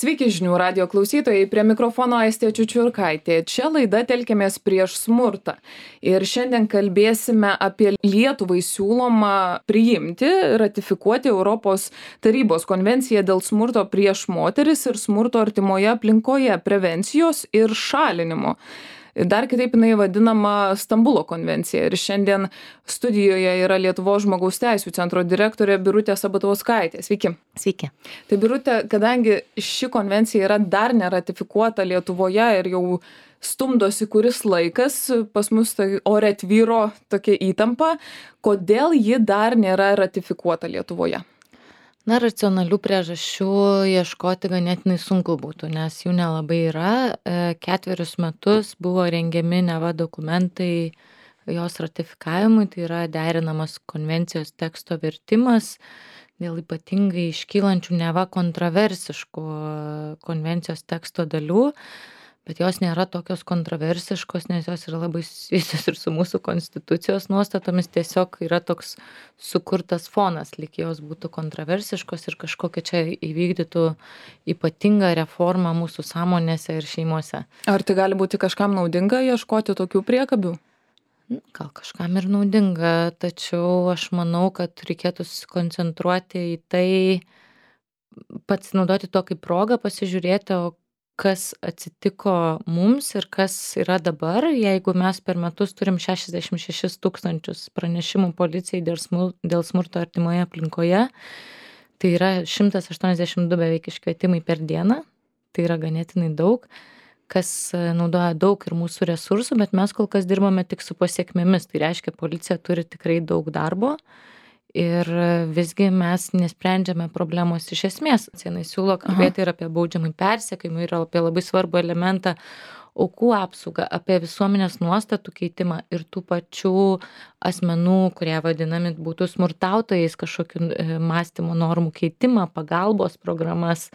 Sveiki žinių radijo klausytojai, prie mikrofono Aistė Čiučiurkaitė. Čia laida Telkiamės prieš smurtą. Ir šiandien kalbėsime apie Lietuvai siūlomą priimti, ratifikuoti Europos tarybos konvenciją dėl smurto prieš moteris ir smurto artimoje aplinkoje prevencijos ir šalinimo. Dar kitaip jinai vadinama Stambulo konvencija. Ir šiandien studijoje yra Lietuvos žmogaus teisių centro direktorė Birutė Sabatauskaitė. Sveiki. Sveiki. Tai Birutė, kadangi ši konvencija yra dar neratifikuota Lietuvoje ir jau stumdosi kuris laikas, pas mus tai ore tvyro tokia įtampa, kodėl ji dar nėra ratifikuota Lietuvoje? Na, racionalių priežasčių ieškoti ganėtinai sunku būtų, nes jų nelabai yra. 4 metus buvo rengiami neva dokumentai jos ratifikavimui, tai yra derinamas konvencijos teksto vertimas dėl ypatingai iškylančių neva kontroversiškų konvencijos teksto dalių, bet jos nėra tokios kontroversiškos, nes jos yra labai susijusios ir su mūsų konstitucijos nuostatomis, tiesiog yra toks sukurtas fonas, lyg jos būtų kontroversiškos ir kažkokia čia įvykdytų ypatingą reformą mūsų sąmonėse ir šeimose. Ar tai gali būti kažkam naudinga ieškoti tokių priekabių? Gal kažkam ir naudinga, tačiau aš manau, kad reikėtų susikoncentruoti į tai, pats naudoti to kaip progą, pasižiūrėti, o kas atsitiko mums ir kas yra dabar, jeigu mes per metus turim 66 000 pranešimų policijai dėl smurto artimoje aplinkoje, tai yra 182 beveik iškvietimai per dieną, tai yra ganėtinai daug, kas naudoja daug ir mūsų resursų, bet mes kol kas dirbame tik su pasiekmėmis, tai reiškia, policija turi tikrai daug darbo. Ir visgi mes nesprendžiame problemos iš esmės. Jis siūlo kalbėti ir apie baudžiamąjį persekiojimą, ir apie labai svarbų elementą aukų apsaugą, apie visuomenės nuostatų keitimą ir tų pačių asmenų, kurie vadinami būtų smurtautojais, kažkokių mąstymo normų keitimą, pagalbos programas.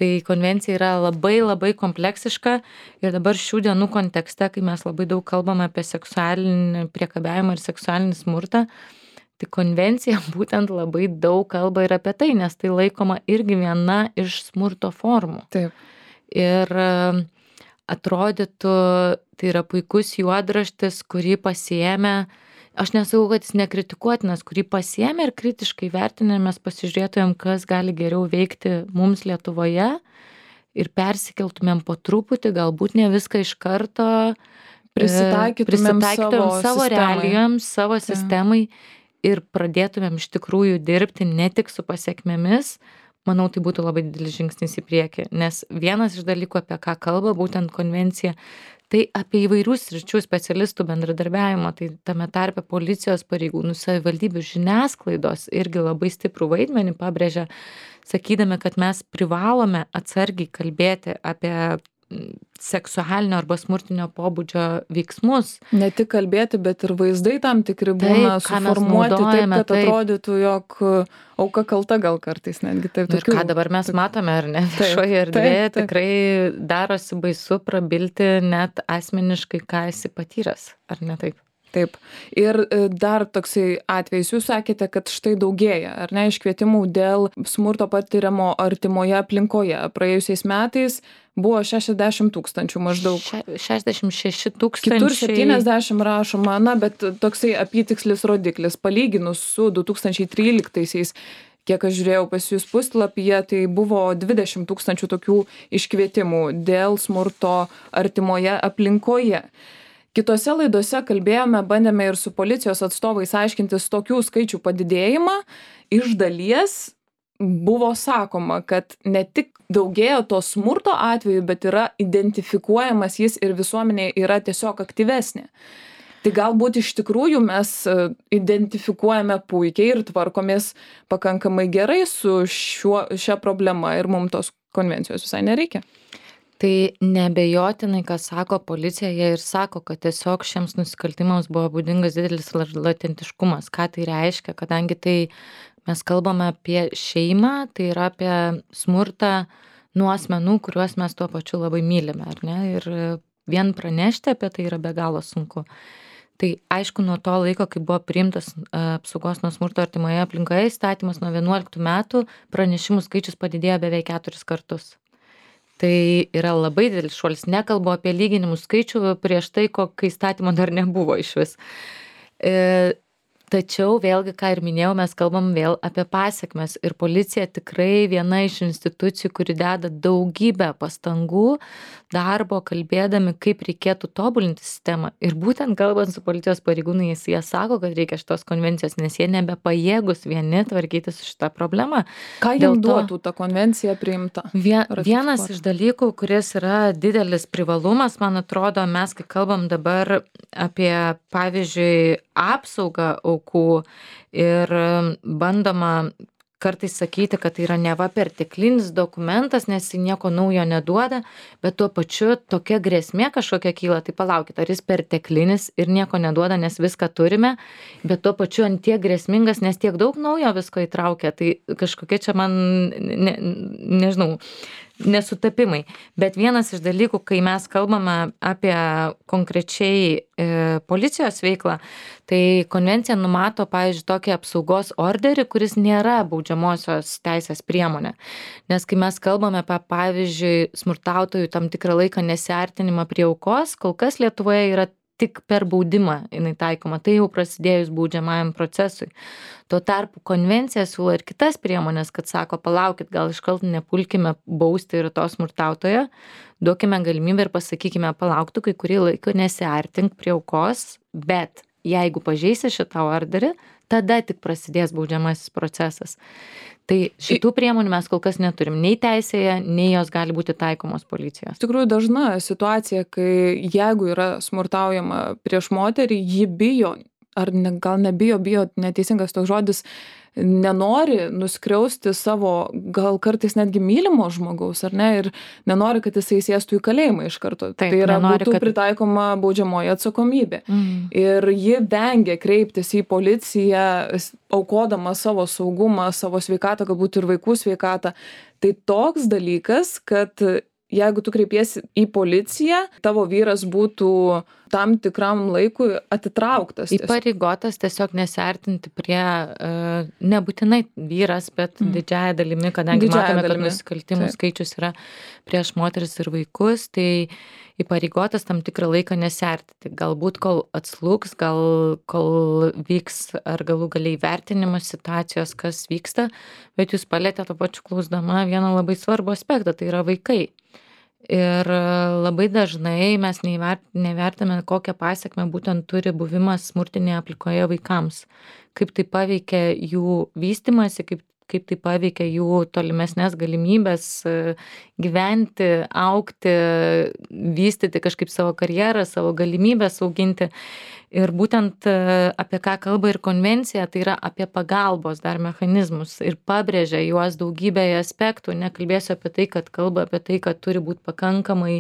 Tai konvencija yra labai kompleksiška ir dabar šių dienų kontekste, kai mes labai daug kalbame apie seksualinį priekabiavimą ir seksualinį smurtą, tai konvencija būtent labai daug kalba ir apie tai, nes tai laikoma irgi viena iš smurto formų. Taip. Ir atrodytų, tai yra puikus juodraštis, kurį pasiėmė, aš nesakau, kad jis nekritikuotinas, kurį pasiėmė ir kritiškai vertinę mes pasižiūrėtumėm, kas gali geriau veikti mums Lietuvoje ir persikeltumėm po truputį, galbūt ne viską iš karto, prisitaikytumėm savo realijoms, savo sistemai. Ir pradėtumėm iš tikrųjų dirbti ne tik su pasiekmėmis, manau, tai būtų labai didelis žingsnis į priekį. Nes vienas iš dalykų, apie ką kalba būtent konvencija, tai apie įvairių sričių specialistų bendradarbiavimo, tai tame tarpe policijos pareigūnų, savivaldybių, žiniasklaidos irgi labai stiprų vaidmenį pabrėžia, sakydami, kad mes privalome atsargiai kalbėti apie seksualinio arba smurtinio pobūdžio veiksmus. Ne tik kalbėti, bet ir vaizdai tam tikri būna suformuoti taip, kad atrodytų, jog auka kalta gal kartais netgi taip. Ir ką dabar mes matome, ar ne, viešoje erdvėje tikrai darosi baisu prabilti net asmeniškai, ką esi patyręs, ar ne taip? Taip. Ir dar toksai atvejis, jūs sakėte, kad štai daugėja, ar ne, iškvietimų dėl smurto patiriamo artimoje aplinkoje. Praėjusiais metais buvo 60 000 maždaug. 66 000. Kitur 70 rašoma, na, bet toksai apytikslis rodiklis. Palyginus su 2013-aisiais, kiek aš žiūrėjau pas jūs puslapyje, tai buvo 20 000 tokių iškvietimų dėl smurto artimoje aplinkoje. Kitose laidose kalbėjome, bandėme ir su policijos atstovais aiškintis tokių skaičių padidėjimą. Iš dalies buvo sakoma, kad ne tik daugėja to smurto atveju, bet yra identifikuojamas jis ir visuomenė yra tiesiog aktyvesnė. Tai galbūt iš tikrųjų mes identifikuojame puikiai ir tvarkomės pakankamai gerai su šia problema ir mums tos konvencijos visai nereikia. Tai neabejotinai, ką sako policija, jie ir sako, kad tiesiog šiems nusikaltimams buvo būdingas didelis latentiškumas. Ką tai reiškia, kadangi tai mes kalbame apie šeimą, tai yra apie smurtą nuo asmenų, kuriuos mes tuo pačiu labai mylime, ar ne? Ir vien pranešti apie tai yra be galo sunku. Tai aišku, nuo to laiko, kai buvo priimtas apsaugos nuo smurto artimoje aplinkoje įstatymas nuo 11 metų, pranešimų skaičius padidėjo beveik 4 kartus. Tai yra labai didelis šuolis. Nekalbu apie lyginimų skaičių prieš tai, kai įstatymo dar nebuvo išvis. Tačiau vėlgi, ką ir minėjau, mes kalbam vėl apie pasekmes ir policija tikrai viena iš institucijų, kuri deda daugybę pastangų, darbo, kalbėdami, kaip reikėtų tobulinti sistemą. Ir būtent kalbant su policijos pareigūnais, jie sako, kad reikia šitos konvencijos, nes jie nebepajėgus vieni tvarkyti su šitą problemą. Ką jiems duotų ta konvencija priimta? Vienas iš dalykų, kuris yra didelis privalumas, man atrodo, mes, kai kalbam dabar apie, pavyzdžiui, apsaugą aukų ir bandoma kartais sakyti, kad tai yra neva perteklinis dokumentas, nes jis nieko naujo neduoda, bet tuo pačiu tokia grėsmė kažkokia kyla, tai palaukit, ar jis perteklinis ir nieko neduoda, nes viską turime, bet tuo pačiu ant tiek grėsmingas, nes tiek daug naujo visko įtraukia, tai kažkokia čia man, nežinau, nesutapimai. Bet vienas iš dalykų, kai mes kalbame apie konkrečiai policijos veiklą, tai konvencija numato, pavyzdžiui, tokį apsaugos orderį, kuris nėra baudžiamosios teisės priemonė. Nes kai mes kalbame apie, pavyzdžiui, smurtautojų tam tikrą laiką nesiartinimą prie aukos, kol kas Lietuvoje yra tik per baudimą jinai taikoma, tai jau prasidėjus baudžiamajam procesui. Tuo tarpu konvencija siūlo ir kitas priemonės, kad sako, palaukit, gal iškart nepulkime bausti ir to smurtautojo, duokime galimybę ir pasakykime, palauktų, kai kurį laiką nesiartink prie aukos, bet jeigu pažeisi šitą orderį, tada tik prasidės baudžiamasis procesas. Tai šitų priemonių mes kol kas neturim nei teisėje, nei jos gali būti taikomos policijos. Iš tikrųjų dažna situacija, kai jeigu yra smurtaujama prieš moterį, ji bijo, ar gal nebijo, neteisingas toks žodis, nenori nuskriausti savo, gal kartais netgi mylimo žmogaus, ar ne, ir nenori, kad jisai sėstų į kalėjimą iš karto. Taip, tai yra nenori, būtų pritaikoma baudžiamoji atsakomybė. Ir ji vengia kreiptis į policiją, aukodama savo saugumą, savo sveikatą, galbūt ir vaikų sveikatą. Tai toks dalykas, kad jeigu tu kreipiesi į policiją, tavo vyras būtų tam tikram laikui atitrauktas. Įpareigotas tiesiog nesiartinti prie, nebūtinai vyras, bet didžiąją dalimi, kadangi matome, kad nusikaltimų skaičius yra prieš moteris ir vaikus, tai įpareigotas tam tikrą laiką nesiartinti. Galbūt kol atslūgs, kol vyks ar galų galiai vertinimas situacijos, kas vyksta, bet jūs palėtėte to pačiu klausdama vieną labai svarbų aspektą, tai yra vaikai. Ir labai dažnai mes nevertiname, kokią pasekmę būtent turi buvimas smurtinėje aplinkoje vaikams. Kaip tai paveikia jų vystymąsi, kaip tai paveikia jų tolimesnės galimybės gyventi, augti, vystyti kažkaip savo karjerą, savo galimybės auginti. Ir būtent apie ką kalba ir konvencija, tai yra apie pagalbos dar mechanizmus ir pabrėžia juos daugybėje aspektų. Nekalbėsiu apie tai, kad kalba apie tai, kad turi būti pakankamai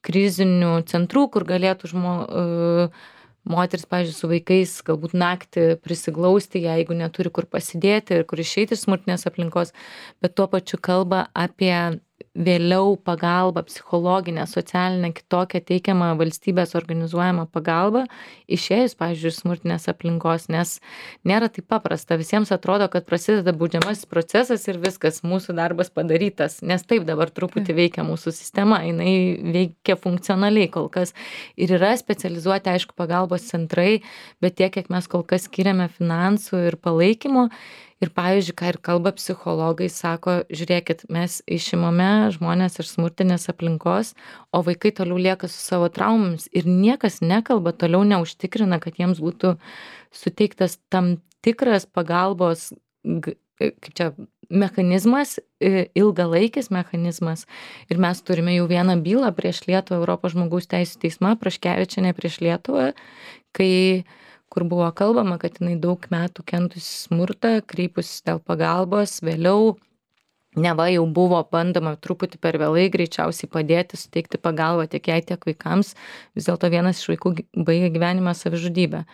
krizinių centrų, kur galėtų moteris, pavyzdžiui, su vaikais galbūt naktį prisiglausti, jeigu neturi kur pasidėti ir kur išeiti iš smurtinės aplinkos, bet tuo pačiu kalba apie vėliau pagalbą, psichologinę, socialinę, kitokią teikiamą valstybės organizuojamą pagalbą, išėjus, pavyzdžiui, smurtinės aplinkos, nes nėra taip paprasta. Visiems atrodo, kad prasideda baudžiamasis procesas ir viskas, mūsų darbas padarytas, nes taip dabar truputį veikia mūsų sistema, jinai veikia funkcionaliai kol kas. Ir yra specializuoti, aišku, pagalbos centrai, bet tiek, kiek mes kol kas skiriame finansų ir palaikymo. Ir, pavyzdžiui, ką ir kalba psichologai, sako, žiūrėkit, mes išimame žmonės iš smurtinės aplinkos, o vaikai toliau lieka su savo traumomis ir niekas nekalba, toliau neužtikrina, kad jiems būtų suteiktas tam tikras pagalbos, kaip čia, mechanizmas, ilgalaikis mechanizmas. Ir mes turime jau vieną bylą prieš Lietuvą Europos žmogaus teisių teismą, Praškevičienė prieš Lietuvą, kur buvo kalbama, kad jinai daug metų kentusi smurtą, kreipusis dėl pagalbos, vėliau neva jau buvo bandoma truputį per vėlai greičiausiai padėti, suteikti pagalbą tiek jai, tiek vaikams, vis dėlto vienas iš vaikų baigė gyvenimą savižudybę.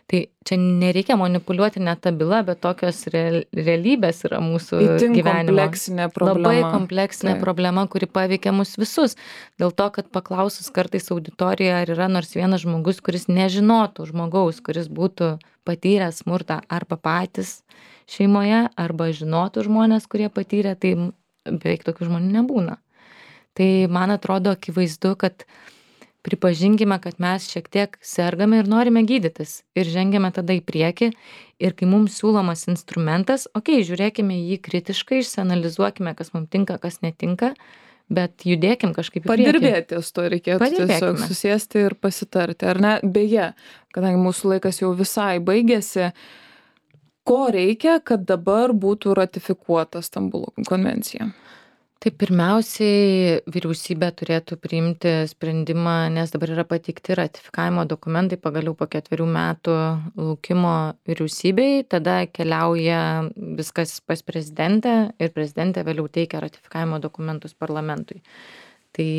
Tai čia nereikia manipuliuoti net tą bylą, bet tokios realybės yra mūsų gyvenimo. Kompleksinė problema. Labai kompleksinė problema, kuri paveikia mus visus. Dėl to, kad paklausus kartais auditorijoje, ar yra nors vienas žmogus, kuris nežinotų žmogaus, kuris būtų patyręs smurtą arba patys šeimoje, arba žinotų žmonės, kurie patyrė, tai beveik tokių žmonių nebūna. Tai man atrodo akivaizdu, kad pripažinkime, kad mes šiek tiek sergame ir norime gydytis ir žengiame tada į priekį ir kai mums siūlomas instrumentas, žiūrėkime jį kritiškai, išsianalizuokime, kas mums tinka, kas netinka, bet judėkim kažkaip į priekį. Padirbėtis to reikėtų tiesiog susėsti ir pasitarti, ar ne? Beje, kadangi mūsų laikas jau visai baigėsi, ko reikia, kad dabar būtų ratifikuota Stambulo konvencija? Tai pirmiausiai vyriausybė turėtų priimti sprendimą, nes dabar yra pateikti ratifikavimo dokumentai pagaliau po 4 metų laukimo vyriausybei, tada keliauja viskas pas prezidentę ir prezidentė vėliau teikia ratifikavimo dokumentus parlamentui. Tai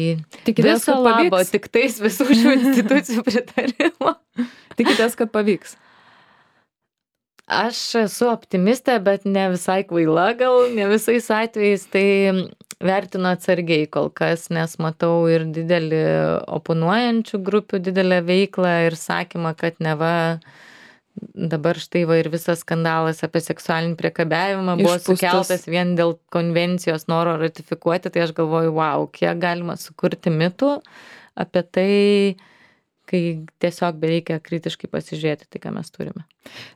tikitės, viso labo, tik tais visų šių institucijų pritarimo. Tikitės, kad pavyks? Aš esu optimistė, bet ne visai kvaila gal, ne visais atvejais, tai vertinu atsargiai kol kas, nes matau ir didelį oponuojančių grupių didelę veiklą ir sakymą, kad neva dabar štai va ir visas skandalas apie seksualinį priekabiavimą buvo sukeltas vien dėl konvencijos noro ratifikuoti, tai aš galvoju, wow, kiek galima sukurti mitų apie tai, kai tiesiog bereikia kritiškai pasižiūrėti tai, ką mes turime.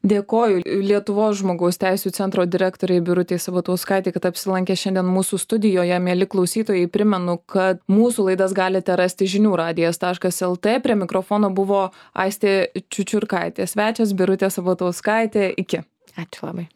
Dėkoju Lietuvos žmogaus teisių centro direktoriai Birutei Sabatauskaitei, kad apsilankė šiandien mūsų studijoje. Mieli klausytojai, primenu, kad mūsų laidas galite rasti žiniųradijas.lt. Prie mikrofono buvo Aistė Čiučiurkaitė. Svečias Birutė Sabatauskaitė. Iki. Ačiū labai.